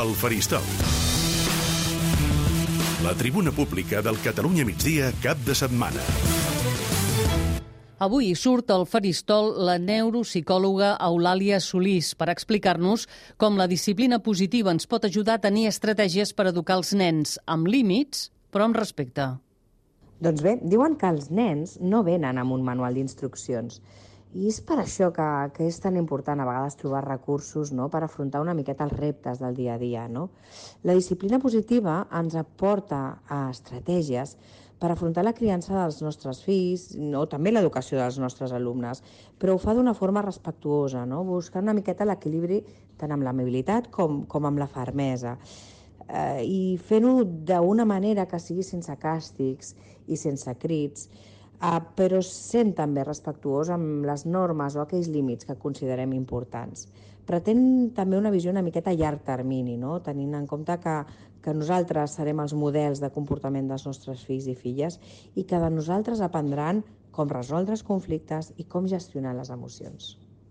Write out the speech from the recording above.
El Faristol. La tribuna pública del Catalunya Migdia cap de setmana. Avui surt al Faristol la neuropsicòloga Eulàlia Solís per explicar-nos com la disciplina positiva ens pot ajudar a tenir estratègies per educar els nens, amb límits, però amb respecte. Doncs bé, diuen que els nens no venen amb un manual d'instruccions. I és per això que és tan important a vegades trobar recursos, no?, per afrontar una miqueta els reptes del dia a dia. No? La disciplina positiva ens aporta estratègies per afrontar la criança dels nostres fills o també l'educació dels nostres alumnes, però ho fa d'una forma respectuosa, no? Buscant una miqueta l'equilibri tant amb l'amabilitat com amb la fermesa. I fent-ho d'una manera que sigui sense càstigs i sense crits, però sent també respectuós amb les normes o aquells límits que considerem importants. Pretén també una visió una miqueta a llarg termini, no? Tenint en compte que nosaltres serem els models de comportament dels nostres fills i filles i que de nosaltres aprendran com resoldre els conflictes i com gestionar les emocions.